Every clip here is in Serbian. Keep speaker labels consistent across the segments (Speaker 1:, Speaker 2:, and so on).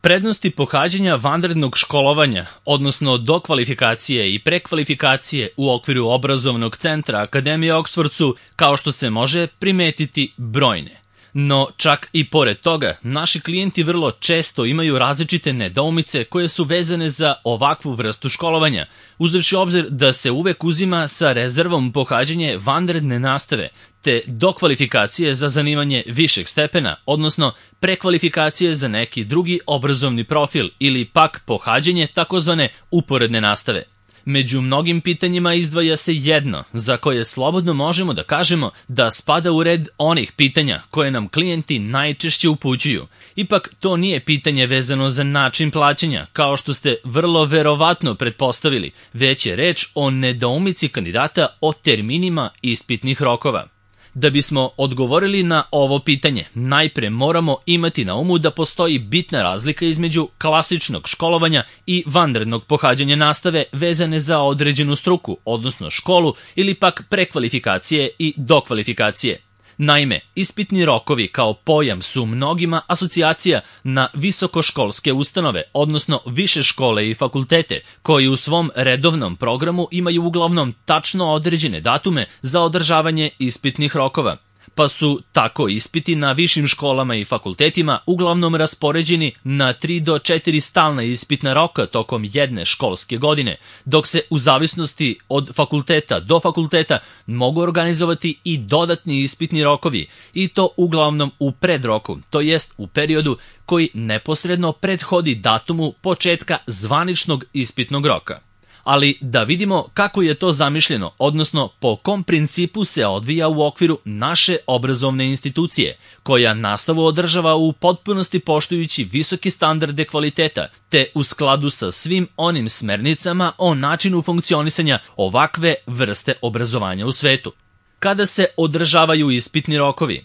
Speaker 1: Prednosti pohađanja vanrednog školovanja, odnosno dokvalifikacije i prekvalifikacije u okviru obrazovnog centra Akademije Oksford su, kao što se može primetiti, brojne. No, čak i pored toga, naši klijenti vrlo često imaju različite nedoumice koje su vezane za ovakvu vrstu školovanja, uzevši obzir da se uvek uzima sa rezervom pohađanje vanredne nastave, te dokvalifikacije za zanimanje višeg stepena, odnosno prekvalifikacije za neki drugi obrazovni profil ili pak pohađanje takozvane uporedne nastave. Među mnogim pitanjima izdvaja se jedno, za koje slobodno možemo da kažemo da spada u red onih pitanja koje nam klijenti najčešće upućuju. Ipak to nije pitanje vezano za način plaćanja, kao što ste vrlo verovatno pretpostavili, već je reč o nedoumici kandidata o terminima ispitnih rokova. Da bismo odgovorili na ovo pitanje, najpre moramo imati na umu da postoji bitna razlika između klasičnog školovanja i vanrednog pohađanja nastave vezane za određenu struku, odnosno školu, ili pak prekvalifikacije i dokvalifikacije. Naime, ispitni rokovi kao pojam su mnogima asocijacija na visokoškolske ustanove, odnosno više škole i fakultete, koji u svom redovnom programu imaju uglavnom tačno određene datume za održavanje ispitnih rokova. Pa su tako ispiti na višim školama i fakultetima uglavnom raspoređeni na 3 do 4 stalna ispitna roka tokom jedne školske godine, dok se u zavisnosti od fakulteta do fakulteta mogu organizovati i dodatni ispitni rokovi, i to uglavnom u predroku, to jest u periodu koji neposredno prethodi datumu početka zvaničnog ispitnog roka. Ali da vidimo kako je to zamišljeno, odnosno po kom principu se odvija u okviru naše obrazovne institucije, koja nastavu održava u potpunosti poštujući visoke standarde kvaliteta, te u skladu sa svim onim smernicama o načinu funkcionisanja ovakve vrste obrazovanja u svetu. Kada se održavaju ispitni rokovi?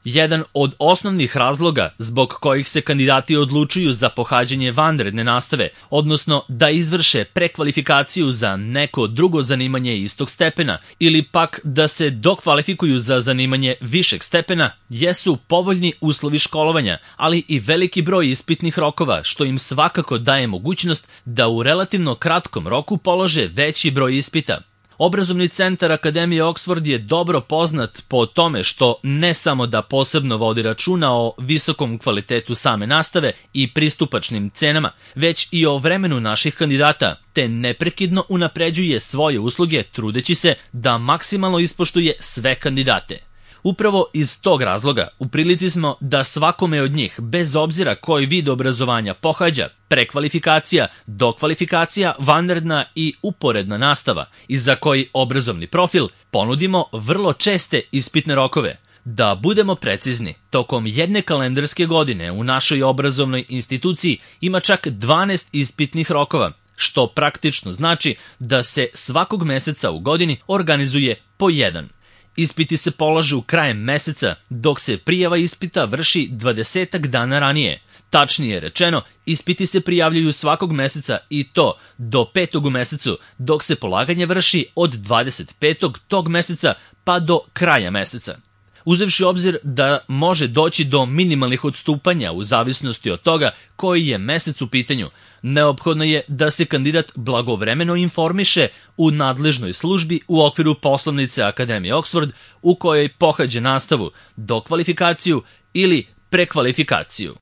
Speaker 1: Jedan od osnovnih razloga zbog kojih se kandidati odlučuju za pohađanje vanredne nastave, odnosno da izvrše prekvalifikaciju za neko drugo zanimanje istog stepena ili pak da se dokvalifikuju za zanimanje višeg stepena, jesu povoljni uslovi školovanja, ali i veliki broj ispitnih rokova, što im svakako daje mogućnost da u relativno kratkom roku polože veći broj ispita. Obrazovni centar Akademije Oksford je dobro poznat po tome što ne samo da posebno vodi računa o visokom kvalitetu same nastave i pristupačnim cenama, već i o vremenu naših kandidata, te neprekidno unapređuje svoje usluge trudeći se da maksimalno ispoštuje sve kandidate. Upravo iz tog razloga u prilici smo da svakome od njih, bez obzira koji vid obrazovanja pohađa, prekvalifikacija, dokvalifikacija, vanredna i uporedna nastava i za koji obrazovni profil ponudimo vrlo česte ispitne rokove. Da budemo precizni, tokom jedne kalendarske godine u našoj obrazovnoj instituciji ima čak 12 ispitnih rokova, što praktično znači da se svakog meseca u godini organizuje po jedan. Ispiti se polažu krajem meseca, dok se prijava ispita vrši 20 dana ranije. Tačnije rečeno, ispiti se prijavljuju svakog meseca i to do 5. u mesecu, dok se polaganje vrši od 25. tog meseca pa do kraja meseca. Uzevši obzir da može doći do minimalnih odstupanja u zavisnosti od toga koji je mesec u pitanju, neophodno je da se kandidat blagovremeno informiše u nadležnoj službi u okviru poslovnice Akademije Oksford u kojoj pohađa nastavu, dokvalifikaciju ili prekvalifikaciju.